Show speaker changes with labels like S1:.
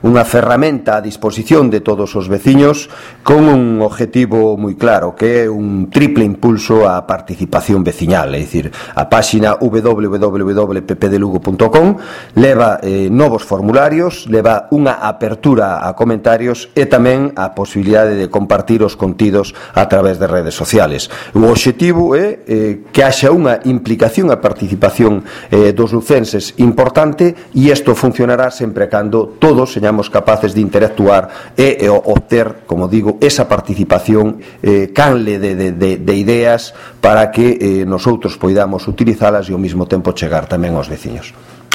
S1: unha ferramenta a disposición de todos os veciños con un objetivo moi claro, que é un triple impulso á participación veciñal, é dicir, a páxina www.ppdelugo.com leva novos formularios, leva unha apertura a comentarios e tamén a posibilidade de compartir os contidos a través de redes sociales. O obxectivo é que haxa unha implicación, a participación dos lucenses importante, e isto funcionará sempre cando todos señamos capaces de interactuar e obter, como digo, esa participación canle de ideas para que nosotros poidamos utilizalas e ao mesmo tempo chegar tamén aos veciños.